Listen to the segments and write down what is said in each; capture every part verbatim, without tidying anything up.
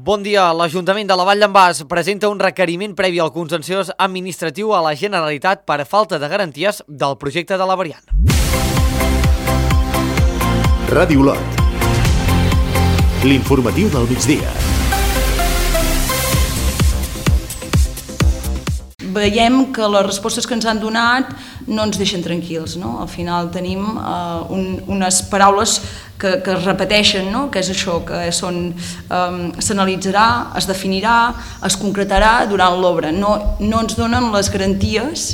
Bon dia. L'Ajuntament de la Vall d'en Bas presenta un requeriment previ al contenciós administratiu a la Generalitat per falta de garanties del projecte de la variant. Ràdio Lot. L'informatiu del migdia. Veiem que les respostes que ens han donat no ens deixen tranquils, no? Al final tenim uh, un, unes paraules que, que es repeteixen, no? Que és això, que són um, s'analitzarà, es definirà, es concretarà durant l'obra. No, no ens donen les garanties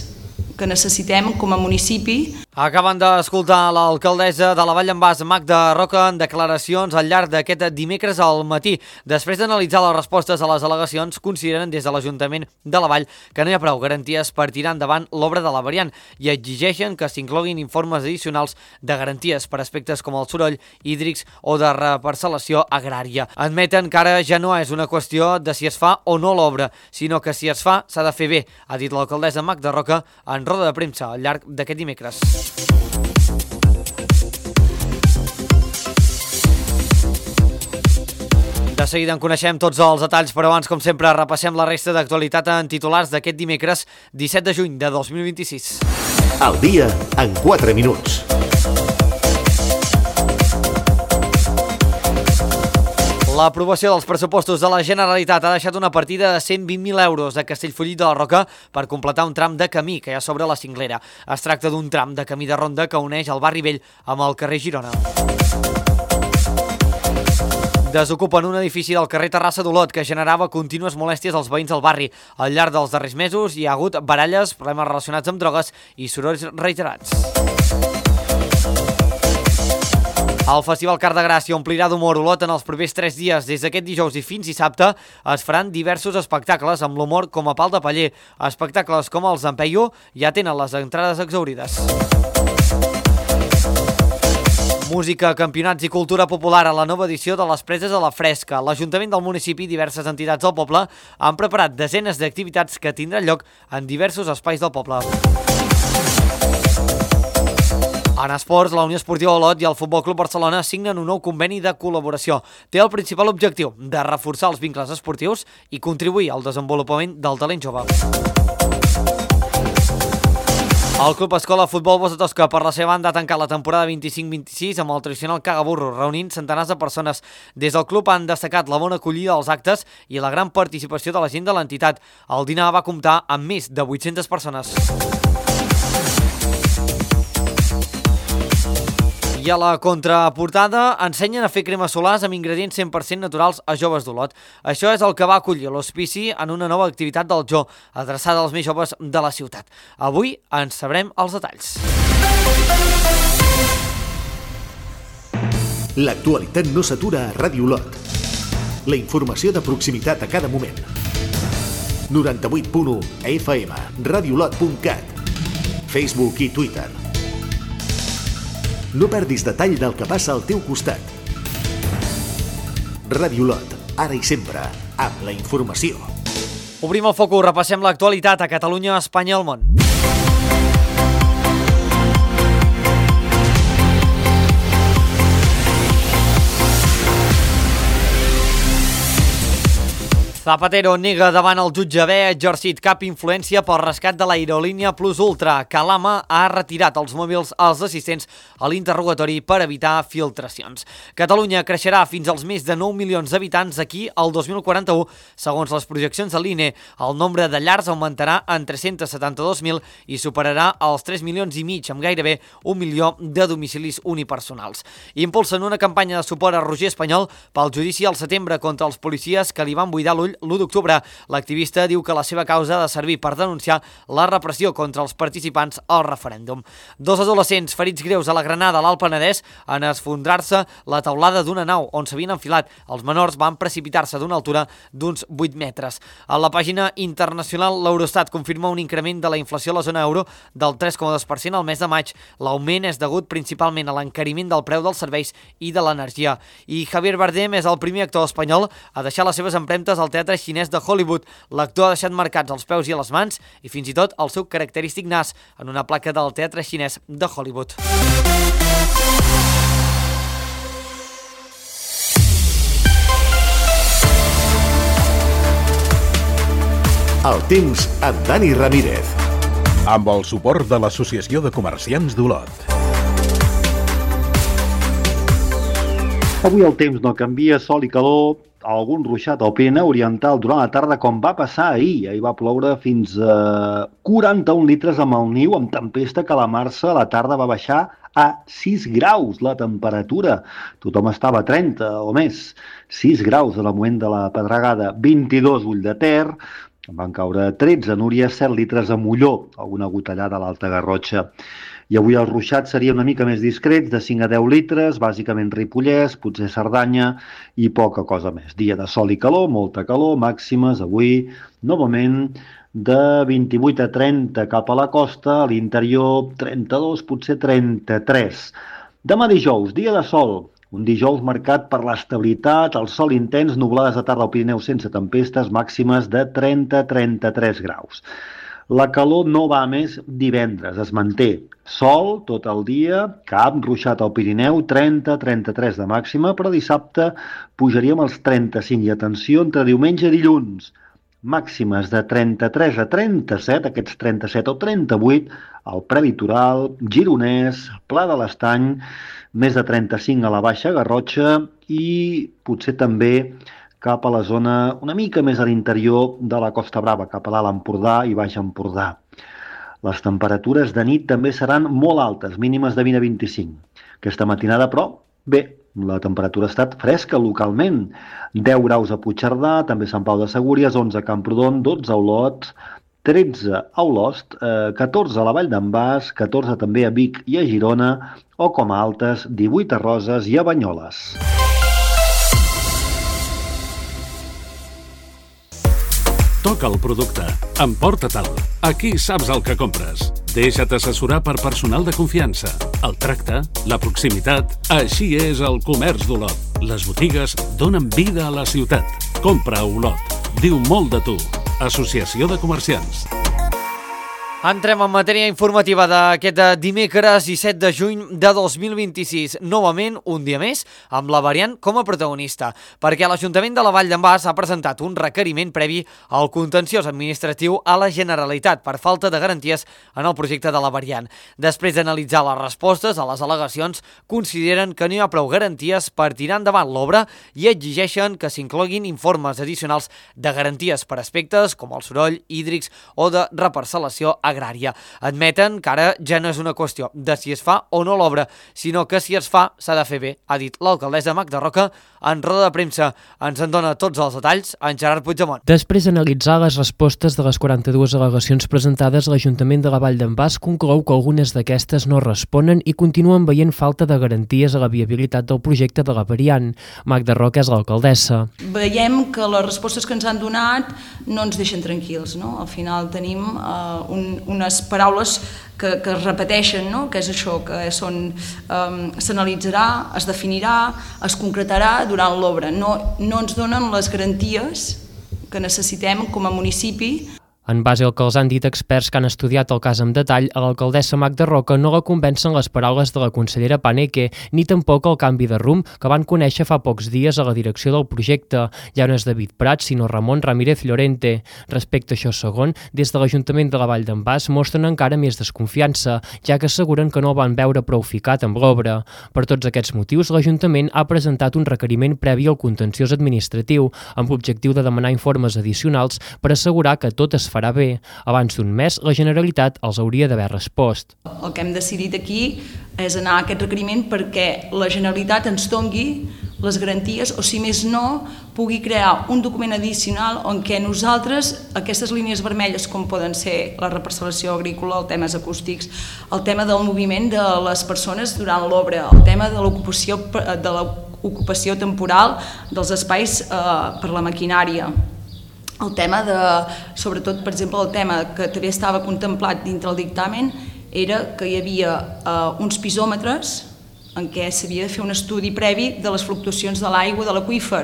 que necessitem com a municipi. Acaben d'escoltar l'alcaldessa de la Vall d'en Bas, Magda Roca, en declaracions al llarg d'aquest dimecres al matí. Després d'analitzar les respostes a les al·legacions, consideren des de l'Ajuntament de la Vall que no hi ha prou garanties per tirar endavant l'obra de la variant i exigeixen que s'incloguin informes addicionals de garanties per aspectes com el soroll, hídrics o de reparcel·lació agrària. Admeten que ara ja no és una qüestió de si es fa o no l'obra, sinó que si es fa s'ha de fer bé, ha dit l'alcaldessa Magda Roca en roda de premsa al llarg d'aquest dimecres. De seguida en coneixem tots els detalls, però abans, com sempre, repassem la resta d'actualitat en titulars d'aquest dimecres disset de juny de dos mil vint-i-sis. Al dia en quatre minuts. L'aprovació dels pressupostos de la Generalitat ha deixat una partida de cent vint mil euros a Castellfollit de la Roca per completar un tram de camí que hi ha sobre la Cinglera. Es tracta d'un tram de camí de ronda que uneix el barri vell amb el carrer Girona. Desocupen un edifici del carrer Terrassa d'Olot que generava contínues molèsties als veïns del barri. Al llarg dels darrers mesos hi ha hagut baralles, problemes relacionats amb drogues i sorolls reiterats. El Festival Car de Gràcia omplirà d'humor Olot en els propers tres dies. Des d'aquest dijous i fins dissabte es faran diversos espectacles amb l'humor com a pal de paller. Espectacles com els Empeio ja tenen les entrades exhaurides. Música, campionats i cultura popular a la nova edició de les Preses a la Fresca. L'Ajuntament del municipi i diverses entitats del poble han preparat desenes d'activitats que tindran lloc en diversos espais del poble. En esports, la Unió Esportiva Olot i el Futbol Club Barcelona signen un nou conveni de col·laboració. Té el principal objectiu de reforçar els vincles esportius i contribuir al desenvolupament del talent jove. El Club Escola Futbol Bossa Tosca, per la seva banda, ha tancat la temporada vint-i-cinc vint-i-sis amb el tradicional cagaburro, reunint centenars de persones. Des del club han destacat la bona acollida als actes i la gran participació de la gent de l'entitat. El dinar va comptar amb més de vuit-centes persones. I a la contraportada ensenyen a fer cremes solars amb ingredients cent per cent naturals a joves d'Olot. Això és el que va acollir l'hospici en una nova activitat del Jo, adreçada als més joves de la ciutat. Avui en sabrem els detalls. L'actualitat no s'atura a Ràdio Lot. La informació de proximitat a cada moment. noranta-vuit punt u F M, radiolot punt cat, Facebook i Twitter. No perdis detall del que passa al teu costat. Ràdio Lot, ara i sempre, amb la informació. Obrim el focus, repassem l'actualitat a Catalunya, Espanya i el món. Zapatero nega davant el jutge haver exercit cap influència pel rescat de l'aerolínia Plus Ultra. Calama ha retirat els mòbils als assistents a l'interrogatori per evitar filtracions. Catalunya creixerà fins als més de nou milions d'habitants d'aquí al dos mil quaranta-u. Segons les projeccions de l'I N E, el nombre de llars augmentarà en tres-cents setanta-dos mil i superarà els tres milions i mig, amb gairebé un milió de domicilis unipersonals. Impulsen una campanya de suport a Roger Espanyol pel judici al setembre contra els policies que li van buidar l'ull l'u d'octubre. L'activista diu que la seva causa ha de servir per denunciar la repressió contra els participants al referèndum. Dos adolescents ferits greus a la Granada, a l'Alt Penedès, en esfondrar-se la teulada d'una nau on s'havien enfilat. Els menors van precipitar-se d'una altura d'uns vuit metres. A la pàgina internacional, l'Eurostat confirma un increment de la inflació a la zona euro del tres coma dos per cent al mes de maig. L'augment és degut principalment a l'encariment del preu dels serveis i de l'energia. I Javier Bardem és el primer actor espanyol a deixar les seves empremtes al teatre xinès de Hollywood. L'actor ha deixat marcats els peus i les mans i fins i tot el seu característic nas en una placa del teatre xinès de Hollywood. El temps amb Dani Ramírez. Amb el suport de l'Associació de Comerciants d'Olot. Avui el temps no canvia, sol i calor, algun ruixat al Pirineu Oriental durant la tarda, com va passar ahir. Ahir va ploure fins a quaranta-un litres amb el niu, amb tempesta que a la Marsa a la tarda va baixar a sis graus la temperatura. Tothom estava a trenta o més. sis graus al moment de la pedregada, vint-i-dos Ull de Ter, van caure tretze a Núria, set litres a Molló, alguna gotellada a l'Alta Garrotxa. I avui els ruixats serien una mica més discrets, de cinc a deu litres, bàsicament Ripollès, potser Cerdanya i poca cosa més. Dia de sol i calor, molta calor, màximes avui, novament, de vint-i-vuit a trenta cap a la costa, a l'interior trenta-dos, potser trenta-tres. Demà dijous, dia de sol, un dijous marcat per l'estabilitat, el sol intens, nublades de tarda al Pirineu sense tempestes, màximes de trenta a trenta-tres graus. La calor no va més divendres, es manté. Sol tot el dia, cap ruixat al Pirineu, trenta a trenta-tres de màxima, però dissabte pujaríem als trenta-cinc. I atenció, entre diumenge i dilluns, màximes de trenta-tres a trenta-set, aquests trenta-set o trenta-vuit, al prelitoral, gironès, Pla de l'Estany, més de trenta-cinc a la Baixa Garrotxa i potser també cap a la zona una mica més a l'interior de la Costa Brava, cap a l'Alt Empordà i Baix Empordà. Les temperatures de nit també seran molt altes, mínimes de vint a vint-i-cinc. Aquesta matinada, però, bé, la temperatura ha estat fresca localment. deu graus a Puigcerdà, també Sant Pau de Segúries, onze a Camprodon, dotze a Olot, tretze a Olost, eh, catorze a la Vall d'en Bas, catorze també a Vic i a Girona, o com a altes, divuit a Roses i a Banyoles. Toca el producte. Emporta-te'l. Aquí saps el que compres. Deixa't assessorar per personal de confiança. El tracte, la proximitat... Així és el comerç d'Olot. Les botigues donen vida a la ciutat. Compra a Olot. Diu molt de tu. Associació de Comerciants. Entrem en matèria informativa d'aquest dimecres disset de juny de dos mil vint-i-sis. Novament, un dia més, amb la variant com a protagonista, perquè l'Ajuntament de la Vall d'en Bas ha presentat un requeriment previ al contenciós administratiu a la Generalitat per falta de garanties en el projecte de la variant. Després d'analitzar les respostes a les al·legacions, consideren que no hi ha prou garanties per tirar endavant l'obra i exigeixen que s'incloguin informes addicionals de garanties per aspectes com el soroll, hídrics o de reparcel·lació agrària. Admeten que ara ja no és una qüestió de si es fa o no l'obra, sinó que si es fa s'ha de fer bé, ha dit l'alcaldessa Magda Roca en roda de premsa. Ens en dona tots els detalls en Gerard Puigdemont. Després d'analitzar les respostes de les quaranta-dues al·legacions presentades, l'Ajuntament de la Vall d'en Bas conclou que algunes d'aquestes no responen i continuen veient falta de garanties a la viabilitat del projecte de la variant. Magda Roca és l'alcaldessa. Veiem que les respostes que ens han donat no ens deixen tranquils, no? Al final tenim uh, un unes paraules que, que es repeteixen, no? Que és això, que són um, s'analitzarà, es definirà, es concretarà durant l'obra. No, no ens donen les garanties que necessitem com a municipi. En base al que els han dit experts que han estudiat el cas en detall, a l'alcaldessa Magda Roca no la convencen les paraules de la consellera Paneque, ni tampoc el canvi de rumb que van conèixer fa pocs dies a la direcció del projecte. Ja no és David Prats, sinó Ramon Ramírez Llorente. Respecte a això segon, des de l'Ajuntament de la Vall d'en Bas mostren encara més desconfiança, ja que asseguren que no el van veure prou ficat amb l'obra. Per tots aquests motius, l'Ajuntament ha presentat un requeriment previ al contenciós administratiu, amb l'objectiu de demanar informes addicionals per assegurar que tot es farà bé. Abans d'un mes, la Generalitat els hauria d'haver respost. El que hem decidit aquí és anar a aquest requeriment perquè la Generalitat ens doni les garanties, o si més no, pugui crear un document addicional en què nosaltres, aquestes línies vermelles com poden ser la reparcel·lació agrícola, els temes acústics, el tema del moviment de les persones durant l'obra, el tema de l'ocupació de l'ocupació temporal dels espais eh, per la maquinària, el tema de, sobretot, per exemple, el tema que també estava contemplat dintre el dictamen era que hi havia eh, uns pisòmetres en què s'havia de fer un estudi previ de les fluctuacions de l'aigua de l'aqüífer.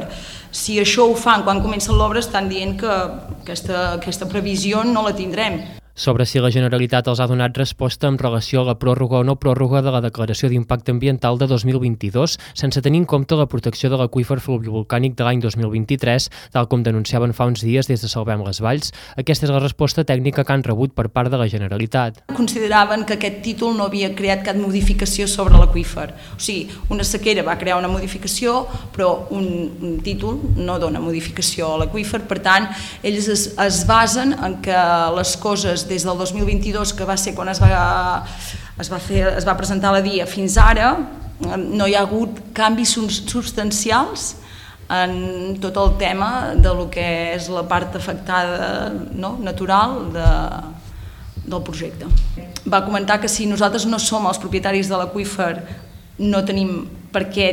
Si això ho fan quan comença l'obra, estan dient que aquesta, aquesta previsió no la tindrem. Sobre si la Generalitat els ha donat resposta en relació a la pròrroga o no pròrroga de la declaració d'impacte ambiental de dos mil vint-i-dos, sense tenir en compte la protecció de l'aqüífer fluvivolcànic de l'any dos mil vint-i-tres, tal com denunciaven fa uns dies des de Salvem les Valls. Aquesta és la resposta tècnica que han rebut per part de la Generalitat. Consideraven que aquest títol no havia creat cap modificació sobre l'aqüífer. O sigui, una sequera va crear una modificació, però un, un títol no dona modificació a l'aqüífer. Per tant, ells es, es basen en que les coses des del dos mil vint-i-dos, que va ser quan es va, es va, fer, es va presentar la D I A, fins ara, no hi ha hagut canvis substancials en tot el tema de lo que és la part afectada, no?, natural de, del projecte. Va comentar que si nosaltres no som els propietaris de l'aqüífer, no tenim per què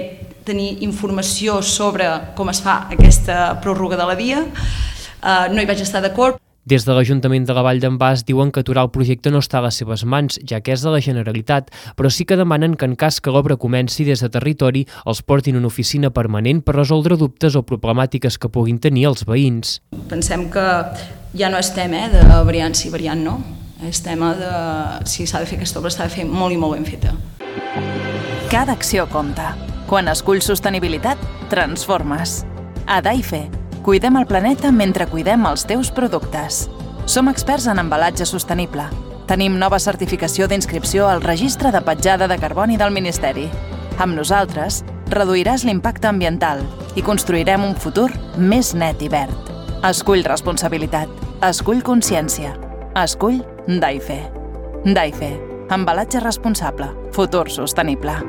tenir informació sobre com es fa aquesta pròrroga de la D I A, uh, no hi vaig estar d'acord. Des de l'Ajuntament de la Vall d'en Bas diuen que aturar el projecte no està a les seves mans, ja que és de la Generalitat, però sí que demanen que en cas que l'obra comenci des de territori els portin una oficina permanent per resoldre dubtes o problemàtiques que puguin tenir els veïns. Pensem que ja no és tema eh, de variant sí, variant no. És tema de si s'ha de fer aquesta obra, s'ha de fer molt i molt ben feta. Cada acció compta. Quan esculls sostenibilitat, transformes. A Daife, cuidem el planeta mentre cuidem els teus productes. Som experts en embalatge sostenible. Tenim nova certificació d'inscripció al Registre de Petjada de Carboni del Ministeri. Amb nosaltres, reduiràs l'impacte ambiental i construirem un futur més net i verd. Escull responsabilitat. Escull consciència. Escull Daife. Daife. Embalatge responsable. Futur sostenible.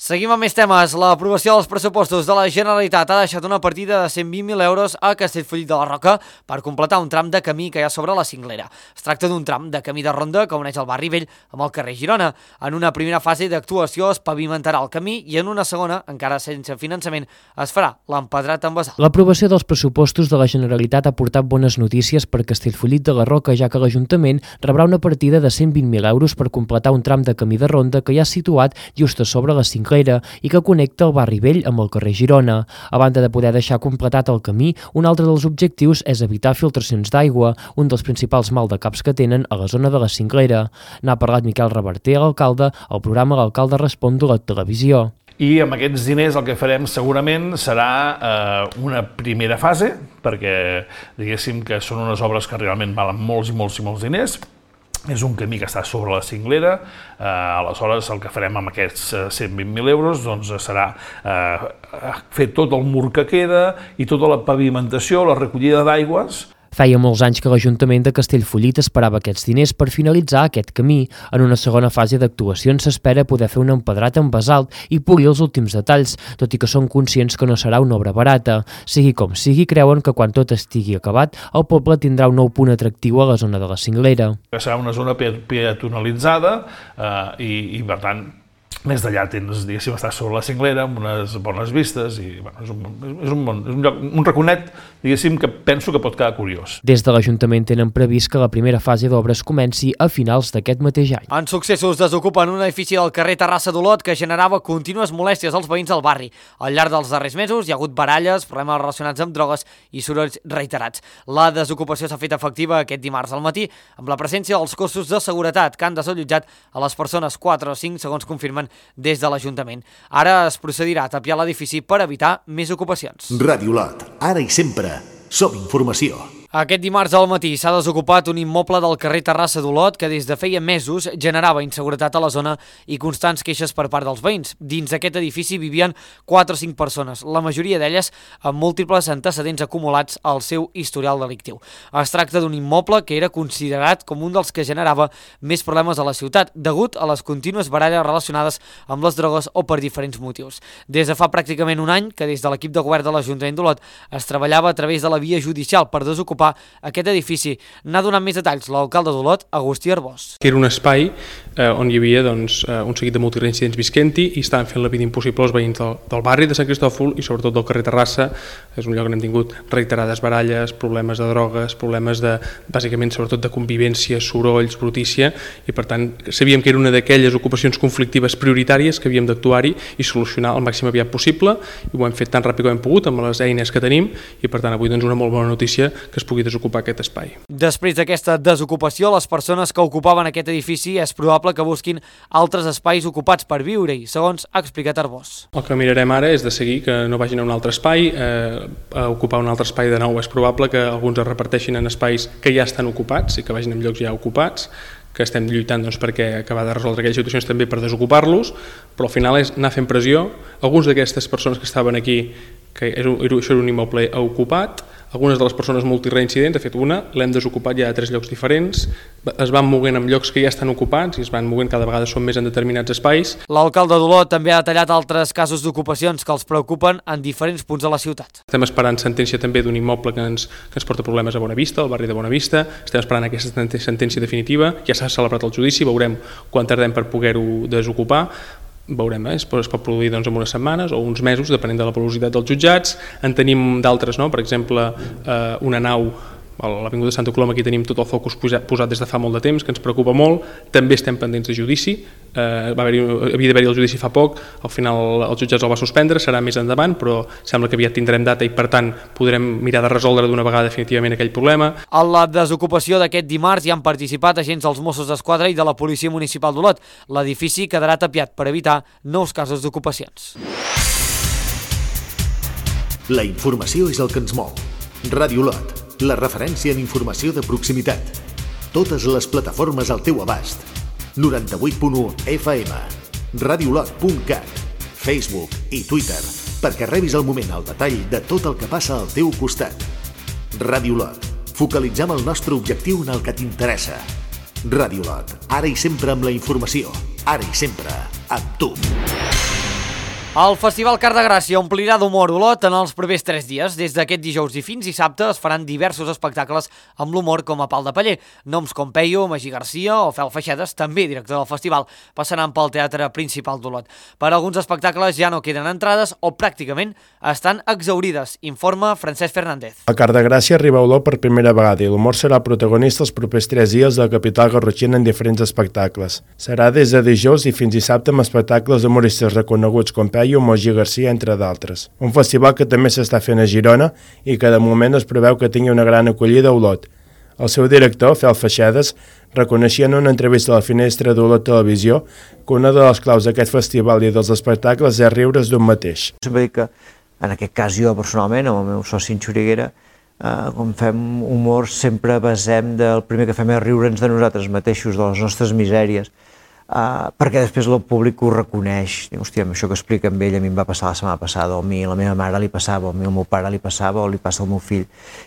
Seguim amb més temes. L'aprovació dels pressupostos de la Generalitat ha deixat una partida de cent vint mil euros a Castellfollit de la Roca per completar un tram de camí que hi ha sobre la Cinglera. Es tracta d'un tram de camí de ronda que uneix el barri vell amb el carrer Girona. En una primera fase d'actuació es pavimentarà el camí i en una segona, encara sense finançament, es farà l'empedrat amb basalt. L'aprovació dels pressupostos de la Generalitat ha portat bones notícies per Castellfollit de la Roca, ja que l'Ajuntament rebrà una partida de cent vint mil euros per completar un tram de camí de ronda que hi ha situat just a sobre la Cinglera i que connecta el barri vell amb el carrer Girona. A banda de poder deixar completat el camí, un altre dels objectius és evitar filtracions d'aigua, un dels principals maldecaps que tenen a la zona de la Cinglera. N'ha parlat Miquel Reverter, l'alcalde, al programa L'Alcalde Respon de la televisió. I amb aquests diners el que farem segurament serà eh, una primera fase, perquè diguéssim que són unes obres que realment valen molts i molts i molts diners. És un camí que està sobre la Cinglera, eh, aleshores el que farem amb aquests cent vint mil euros doncs, serà eh, fer tot el mur que queda i tota la pavimentació, la recollida d'aigües. Feia molts anys que l'Ajuntament de Castellfollit esperava aquests diners per finalitzar aquest camí. En una segona fase d'actuacions s'espera poder fer un empedrat amb basalt i polir els últims detalls, tot i que són conscients que no serà una obra barata. Sigui com sigui, creuen que quan tot estigui acabat, el poble tindrà un nou punt atractiu a la zona de la Cinglera. Serà una zona peatonalitzada eh, i, i, per tant, més d'allà tens, diguéssim, estar sobre la Cinglera amb unes bones vistes i bueno, és, un, és, un, bon, és un, lloc, un raconet, diguéssim, que penso que pot quedar curiós. Des de l'Ajuntament tenen previst que la primera fase d'obres comenci a finals d'aquest mateix any. En successos desocupen un edifici del carrer Terrassa d'Olot que generava contínues molèsties als veïns del barri. Al llarg dels darrers mesos hi ha hagut baralles, problemes relacionats amb drogues i sorolls reiterats. La desocupació s'ha fet efectiva aquest dimarts al matí amb la presència dels cossos de seguretat que han desallotjat a les persones quatre o cinc, segons confirmen des de l'Ajuntament. Ara es procedirà a tapiar l'edifici per evitar més ocupacions. Ràdio Olot, ara i sempre, som informació. Aquest dimarts al matí s'ha desocupat un immoble del carrer Terrassa d'Olot que des de feia mesos generava inseguretat a la zona i constants queixes per part dels veïns. Dins aquest edifici vivien quatre o cinc persones, la majoria d'elles amb múltiples antecedents acumulats al seu historial delictiu. Es tracta d'un immoble que era considerat com un dels que generava més problemes a la ciutat, degut a les contínues baralles relacionades amb les drogues o per diferents motius. Des de fa pràcticament un any que des de l'equip de govern de l'Ajuntament d'Olot es treballava a través de la via judicial per desocupar aquest edifici. N'ha donat més detalls l'alcalde d'Olot, Agustí Arbós. Que era un espai eh, on hi havia doncs, eh, un seguit de multireincidents visquent-hi i estaven fent la vida impossible als veïns del, del barri de Sant Cristòfol i sobretot del carrer Terrassa. És un lloc on hem tingut reiterades baralles, problemes de drogues, problemes de, bàsicament, sobretot de convivència, sorolls, brutícia, i per tant sabíem que era una d'aquelles ocupacions conflictives prioritàries que havíem d'actuar-hi i solucionar el màxim aviat possible, i ho hem fet tan ràpid com hem pogut amb les eines que tenim, i per tant avui doncs, una molt bona notícia que es pugui desocupar aquest espai. Després d'aquesta desocupació, les persones que ocupaven aquest edifici és probable que busquin altres espais ocupats per viure-hi, segons ha explicat Arbós. El que mirarem ara és de seguir que no vagin a un altre espai, eh, a ocupar un altre espai de nou. És probable que alguns es reparteixin en espais que ja estan ocupats i que vagin en llocs ja ocupats, que estem lluitant doncs, perquè acabar de resoldre aquelles situacions també per desocupar-los, però al final és anar fent pressió. Alguns d'aquestes persones que estaven aquí, que era, això era un immoble ocupat, algunes de les persones multireincidents, de fet una, l'hem desocupat ja a tres llocs diferents, es van movent en llocs que ja estan ocupats i es van movent, cada vegada són més en determinats espais. L'alcalde d'Olot també ha detallat altres casos d'ocupacions que els preocupen en diferents punts de la ciutat. Estem esperant sentència també d'un immoble que ens, que ens porta problemes a Bonavista, al barri de Bonavista, estem esperant aquesta sentència definitiva, ja s'ha celebrat el judici, veurem quan tardem per poder-ho desocupar, veurem, eh? es pot produir doncs, en unes setmanes o uns mesos, depenent de la velocitat dels jutjats. En tenim d'altres, no? Per exemple, eh, una nau a l'Avinguda de Santa Coloma, aquí tenim tot el focus posat des de fa molt de temps, que ens preocupa molt, també estem pendents de judici, eh, va haver-hi, havia d'haver-hi el judici fa poc, al final els jutjats el va suspendre, serà més endavant, però sembla que aviat tindrem data i per tant podrem mirar de resoldre d'una vegada definitivament aquell problema. A la desocupació d'aquest dimarts hi han participat agents dels Mossos d'Esquadra i de la Policia Municipal d'Olot. L'edifici quedarà tapiat per evitar nous casos d'ocupacions. La informació és el que ens mou. Ràdio Olot, la referència en informació de proximitat. Totes les plataformes al teu abast. noranta-vuit punt u F M, radiolot punt cat, Facebook i Twitter, perquè rebis al moment el detall de tot el que passa al teu costat. Ràdio Olot, focalitzem el nostre objectiu en el que t'interessa. Ràdio Olot, ara i sempre amb la informació, ara i sempre amb tu. El Festival Car de Gràcia omplirà d'humor Olot en els propers tres dies. Des d'aquest dijous i fins dissabte es faran diversos espectacles amb l'humor com a pal de paller. Noms com Peyo, Magí Garcia o Fel Feixedes, també director del festival, passaran pel Teatre Principal d'Olot. Per alguns espectacles ja no queden entrades o pràcticament estan exhaurides, informa Francesc Fernández. El Car de Gràcia arriba a Olot per primera vegada i l'humor serà protagonista els propers tres dies de la capital garrotxina en diferents espectacles. Serà des de dijous i fins dissabte amb espectacles d'humoristes reconeguts com Peyo i Magí Garcia, entre d'altres. Un festival que també s'està fent a Girona i que de moment es preveu que tingui una gran acollida a Olot. El seu director, Fel Feixedes, reconeixia en una entrevista a la Finestra d'Olot Televisió que una de les claus d'aquest festival i dels espectacles és riure's d'un mateix. Sempre dic que, en aquest cas jo personalment, amb el meu soci en Xuriguera, eh, quan fem humor sempre basem del primer que fem és riure'ns de nosaltres mateixos, de les nostres misèries, Uh, perquè després el públic ho reconeix. Diu, hòstia, això que explica amb ell a mi em va passar la setmana passada, o a mi la meva mare li passava, o a mi el meu pare li passava, o li passa al meu fill.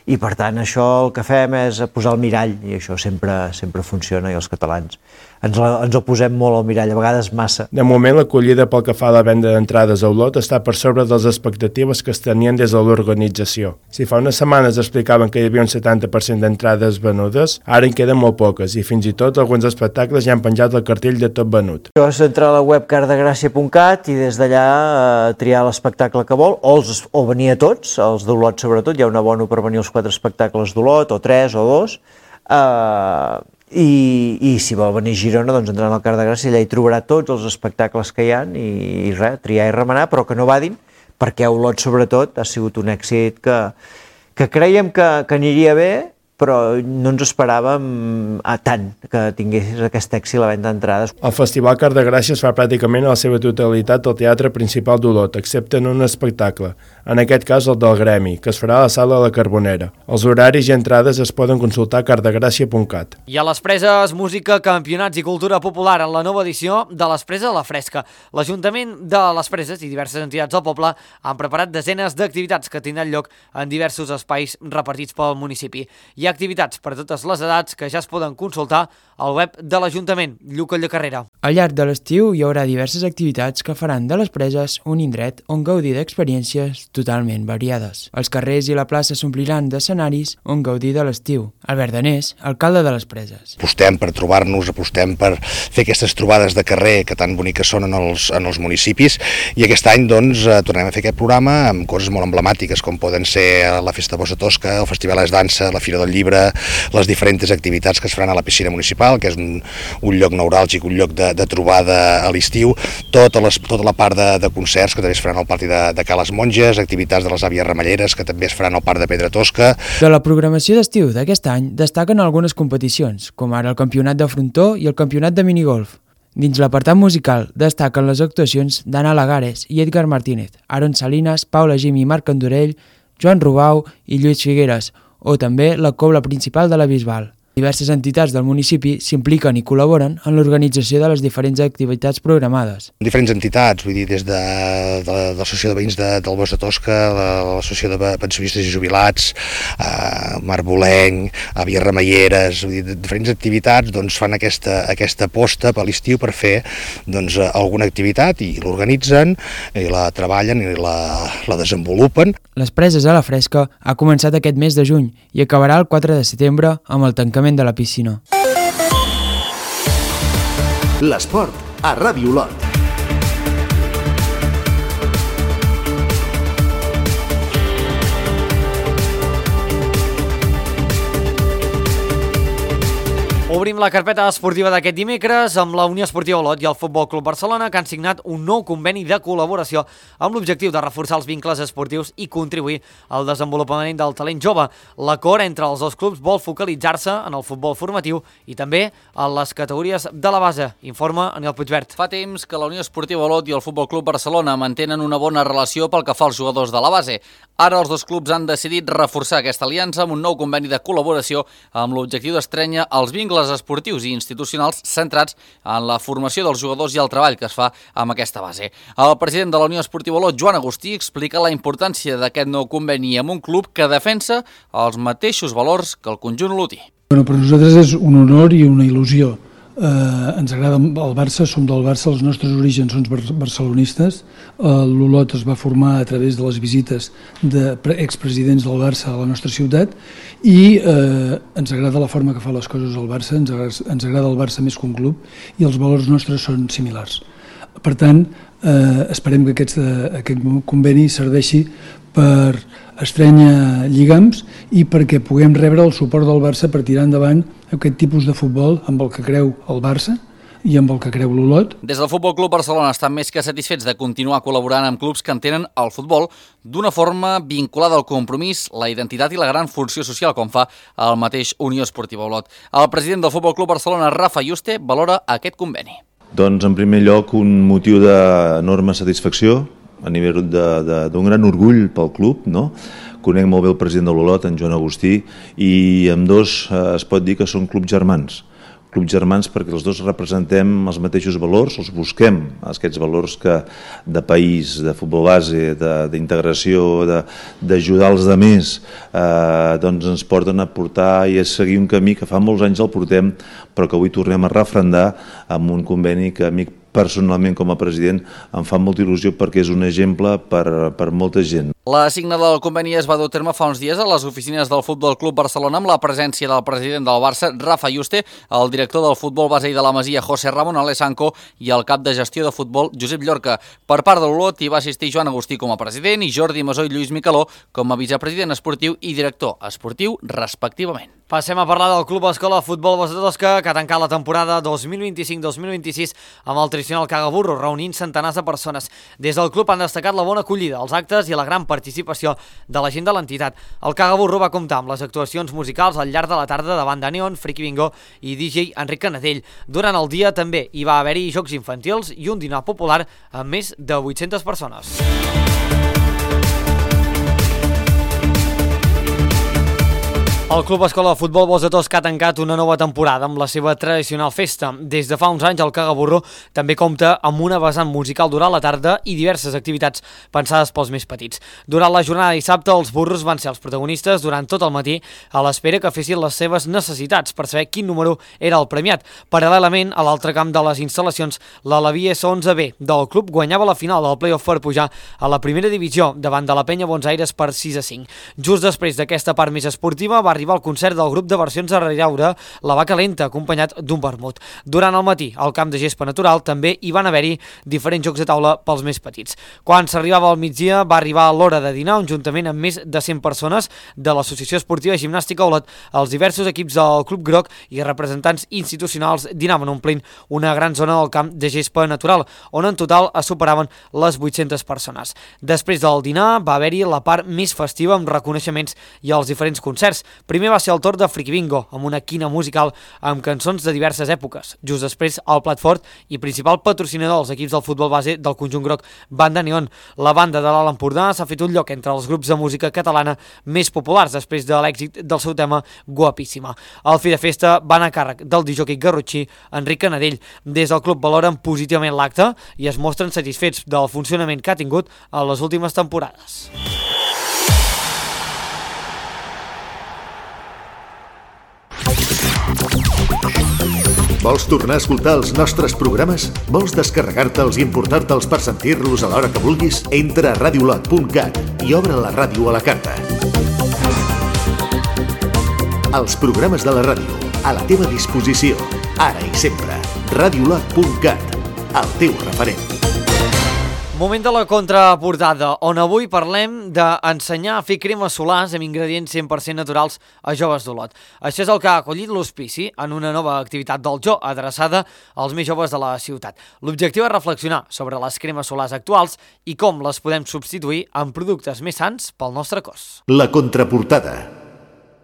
I per tant això el que fem és posar el mirall, i això sempre, sempre funciona, i els catalans ens, la, ens el posem molt al mirall, a vegades massa. De moment l'acollida pel que fa a la venda d'entrades a Olot està per sobre de les expectatives que es tenien des de l'organització. Si fa unes setmanes explicaven que hi havia un setanta per cent d'entrades venudes, ara en queden molt poques, i fins i tot alguns espectacles ja han penjat el cartell de tot venut. Això és entrar a la web cardegràcia punt cat i des d'allà eh, triar l'espectacle que vol, o, els, o venir a tots, els d'Olot sobretot, hi ha un abono per venir als quatre espectacles d'Olot, o tres o dos, eh, i, i si vol venir a Girona, doncs entrant al Car de Gràcia, allà hi trobarà tots els espectacles que hi ha i, i res, triar i remenar, però que no vadin, perquè Olot sobretot ha sigut un èxit que, que creiem que, que aniria bé, però no ens esperàvem a tant que tingués aquest èxit la venda d'entrades. El Festival Car de Gràcia es fa pràcticament a la seva totalitat al Teatre Principal d'Olot, excepte en un espectacle, en aquest cas el del Gremi, que es farà a la Sala de la Carbonera. Els horaris i entrades es poden consultar a cardegràcia punt cat. I a les Preses, música, campionats i cultura popular en la nova edició de les Preses a la Fresca. L'Ajuntament de les Preses i diverses entitats del poble han preparat desenes d'activitats que tindran lloc en diversos espais repartits pel municipi. Hi ha activitats per a totes les edats que ja es poden consultar al web de l'Ajuntament. Lluc Carrera. Al llarg de l'estiu hi haurà diverses activitats que faran de les Preses un indret on gaudir d'experiències totalment variades. Els carrers i la plaça s'ompliran d'escenaris on gaudir de l'estiu. Albert Danés, alcalde de les Preses. Apostem per trobar-nos, apostem per fer aquestes trobades de carrer que tan boniques són en els, en els municipis, i aquest any doncs tornem a fer aquest programa amb coses molt emblemàtiques com poden ser la Festa Bossa Tosca, el Festival Es Dansa, la Fira del llibre les diferents activitats que es faran a la piscina municipal, que és un, un lloc neuràlgic, un lloc de, de trobada a l'estiu, tota, les, tota la part de, de concerts que també es faran al pati de, de Cales Monges, activitats de les àvies ramelleres que també es faran al parc de Pedra Tosca. De la programació d'estiu d'aquest any destaquen algunes competicions, com ara el campionat de frontó i el campionat de minigolf. Dins l'apartat musical destaquen les actuacions d'Anna Lagares i Edgar Martínez, Aaron Salinas, Paula Gim i Marc Andorell, Joan Rubau i Lluís Figueres, o també la cobla principal de la Bisbal. Diverses entitats del municipi s'impliquen i col·laboren en l'organització de les diferents activitats programades. Diferents entitats, vull dir, des de, de, de l'Associació de Veïns de, del Bosc de Tosca, l'Associació de Pensionistes i Jubilats, eh, Marbolenc, Àvies Ramelleres, vull dir, diferents activitats doncs, fan aquesta, aquesta aposta per l'estiu per fer doncs, alguna activitat i l'organitzen, i la treballen i la, la desenvolupen. Les preses a la fresca ha començat aquest mes de juny i acabarà el quatre de setembre amb el tancament de la piscina. L'esport a Ràdio Olot. Obrim la carpeta esportiva d'aquest dimecres amb la Unió Esportiva Olot i el Futbol Club Barcelona, que han signat un nou conveni de col·laboració amb l'objectiu de reforçar els vincles esportius i contribuir al desenvolupament del talent jove. L'acord entre els dos clubs vol focalitzar-se en el futbol formatiu i també en les categories de la base, informa Aniel Puigvert. Fa temps que la Unió Esportiva Olot i el Futbol Club Barcelona mantenen una bona relació pel que fa als jugadors de la base. Ara els dos clubs han decidit reforçar aquesta aliança amb un nou conveni de col·laboració amb l'objectiu d'estrènyer els vincles esportius i institucionals centrats en la formació dels jugadors i el treball que es fa amb aquesta base. El president de la Unió Esportiva Olot, Joan Agustí, explica la importància d'aquest nou conveni amb un club que defensa els mateixos valors que el conjunt olotí. Bueno, per nosaltres és un honor i una il·lusió. Eh, ens agrada el Barça, som del Barça, els nostres orígens són barcelonistes. Eh, L'Olot es va formar a través de les visites d'expresidents del Barça a la nostra ciutat i eh, ens agrada la forma que fa les coses el Barça, ens agrada, ens agrada el Barça més que un club i els valors nostres són similars. Per tant, eh, esperem que aquest, aquest conveni serveixi per estrènyer lligams i perquè puguem rebre el suport del Barça per tirar endavant aquest tipus de futbol amb el que creu el Barça i amb el que creu l'Olot. Des del Futbol Club Barcelona estan més que satisfets de continuar col·laborant amb clubs que entenen el futbol d'una forma vinculada al compromís, la identitat i la gran funció social, com fa el mateix Unió Esportiva Olot. El president del Futbol Club Barcelona, Rafa Yuste, valora aquest conveni. Doncs, en primer lloc, un motiu d'enorme satisfacció a nivell d'un gran orgull pel club, no? Conec molt bé el president de l'Olot, en Joan Agustí, i amb dos eh, es pot dir que són clubs germans. Clubs germans perquè els dos representem els mateixos valors, els busquem, aquests valors que de país, de futbol base, d'integració, d'ajudar els altres, eh, doncs ens porten a portar i a seguir un camí que fa molts anys el portem, però que avui tornem a refrendar amb un conveni que a mi personalment com a president em fa molta il·lusió perquè és un exemple per, per molta gent. La signada del conveni es va dur a terme fa uns dies a les oficines del Futbol Club Barcelona amb la presència del president del Barça, Rafa Yuste, el director del futbol base i de la Masia, José Ramón Alessanco, i el cap de gestió de futbol, Josep Llorca. Per part de l'Olot hi va assistir Joan Agustí com a president i Jordi Masó i Lluís Micaló com a vicepresident esportiu i director esportiu, respectivament. Passem a parlar del Club Escola Futbol Bosc de Tosca, que ha tancat la temporada dos mil vint-i-cinc dos mil vint-i-sis amb el tradicional cagaburro, reunint centenars de persones. Des del club han destacat la bona acollida, els actes i la gran participació de la gent de l'entitat. El cagaburro va comptar amb les actuacions musicals al llarg de la tarda de banda neon, Friki Bingo i D J Enric Canadell. Durant el dia també hi va haver-hi jocs infantils i un dinar popular amb més de vuit-centes persones. El Club Escola de Futbol Bosc de Tosca ha tancat una nova temporada amb la seva tradicional festa. Des de fa uns anys el Cagaburro també compta amb una vessant musical durant la tarda i diverses activitats pensades pels més petits. Durant la jornada de dissabte els burros van ser els protagonistes durant tot el matí a l'espera que fessin les seves necessitats per saber quin número era el premiat. Paral·lelament, a l'altre camp de les instal·lacions, la Levi S onze B del club guanyava la final del play-off per pujar a la primera divisió davant de la Penya Bons Aires per sis a cinc. Just després d'aquesta part més esportiva va arribar el concert del grup de versions a Ridaura, La Vaca Lenta, acompanyat d'un vermut. Durant el matí, al camp de gespa natural, també hi van haver-hi diferents jocs de taula pels més petits. Quan s'arribava al migdia, va arribar l'hora de dinar, un juntament amb més de cent persones de l'Associació Esportiva Gimnàstica Olot, els diversos equips del Club Groc i representants institucionals dinaven omplint una gran zona del camp de gespa natural, on en total es superaven les vuit-centes persones. Després del dinar va haver-hi la part més festiva amb reconeixements i els diferents concerts. Primer va ser el torn de Friki Bingo, amb una quina musical amb cançons de diverses èpoques. Just després, el plat fort i principal patrocinador dels equips del futbol base del conjunt groc, Banda Neon. La banda de l'Alt Empordà s'ha fet un lloc entre els grups de música catalana més populars després de l'èxit del seu tema Guapíssima. El fi de festa va anar a càrrec del discjòquei garrotxí Enric Canadell. Des del club valoren positivament l'acte i es mostren satisfets del funcionament que ha tingut en les últimes temporades. Vols tornar a escoltar els nostres programes? Vols descarregar-te'ls i importar-te'ls per sentir-los a l'hora que vulguis? Entra a radiolot punt cat i obre la ràdio a la carta. Els programes de la ràdio, a la teva disposició, ara i sempre. radiolot punt cat, el teu referent. Moment de la contraportada, on avui parlem d'ensenyar a fer cremes solars amb ingredients cent per cent naturals a joves d'Olot. Això és el que ha acollit l'Hospici en una nova activitat del Jo, adreçada als més joves de la ciutat. L'objectiu és reflexionar sobre les cremes solars actuals i com les podem substituir amb productes més sans pel nostre cos. La contraportada.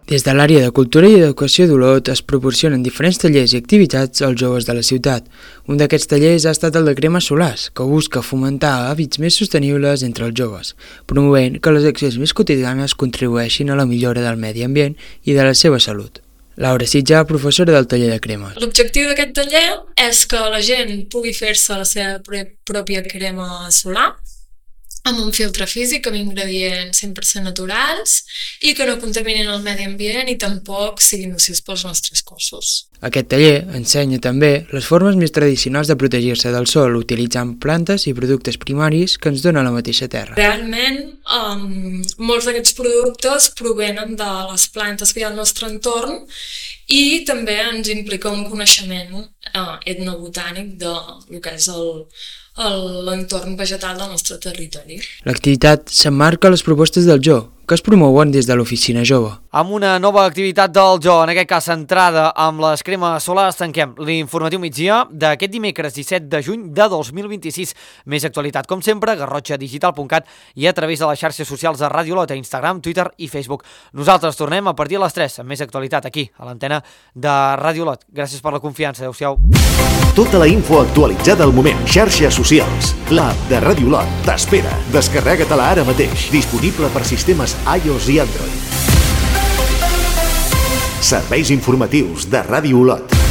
Des de l'àrea de Cultura i Educació d'Olot es proporcionen diferents tallers i activitats als joves de la ciutat. Un d'aquests tallers ha estat el de cremes solars, que busca fomentar hàbits més sostenibles entre els joves, promovent que les accions més quotidianes contribueixin a la millora del medi ambient i de la seva salut. Laura Sitja, professora del taller de cremes. L'objectiu d'aquest taller és que la gent pugui fer-se la seva pròpia crema solar amb un filtre físic, amb ingredients cent per cent naturals i que no contaminin el medi ambient i tampoc siguin nocius pels nostres cossos. Aquest taller ensenya també les formes més tradicionals de protegir-se del sol utilitzant plantes i productes primaris que ens dona la mateixa terra. Realment, um, molts d'aquests productes provenen de les plantes que hi ha al nostre entorn i també ens implica un coneixement uh, etnobotànic del que és el l'entorn vegetal del nostre territori. L'activitat s'emmarca a les propostes del Jo, que es promouen des de l'Oficina Jove. Amb una nova activitat del Jo, en aquest cas centrada amb les cremes solars, tanquem l'informatiu migdia d'aquest dimecres disset de juny de dos mil vint-i-sis. Més actualitat, com sempre, garrotxa digital punt cat i a través de les xarxes socials de Ràdio Olot, a Instagram, Twitter i Facebook. Nosaltres tornem a partir de les tres amb més actualitat aquí, a l'antena de Ràdio Olot. Gràcies per la confiança. Adéu-siau. Tota la info actualitzada al moment. Xarxes socials. L'app de Ràdio Olot t'espera. Descarrega-te-la ara mateix. Disponible per sistemes iOS i Android. Serveis informatius de Ràdio Olot.